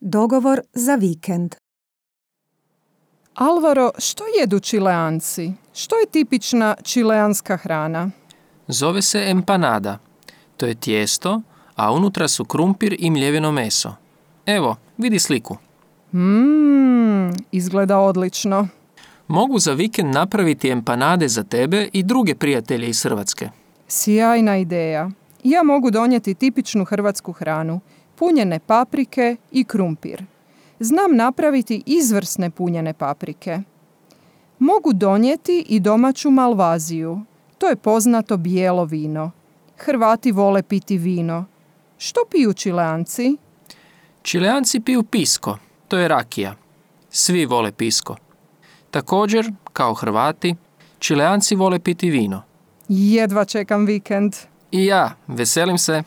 Dogovor za vikend. Alvaro, što jedu Čileanci? Što je tipična čileanska hrana? Zove se empanada. To je tijesto, a unutra su krumpir i mljeveno meso. Evo, vidi sliku. Izgleda odlično. Mogu za vikend napraviti empanade za tebe i druge prijatelje iz Hrvatske. Sjajna ideja. Ja mogu donijeti tipičnu hrvatsku hranu, punjene paprike i krumpir. Znam napraviti izvrsne punjene paprike. Mogu donijeti i domaću malvaziju. To je poznato bijelo vino. Hrvati vole piti vino. Što piju Čileanci? Čileanci piju pisko, to je rakija. Svi vole pisko. Također, kao Hrvati, Čileanci vole piti vino. Jedva čekam vikend. I ja, veselim se.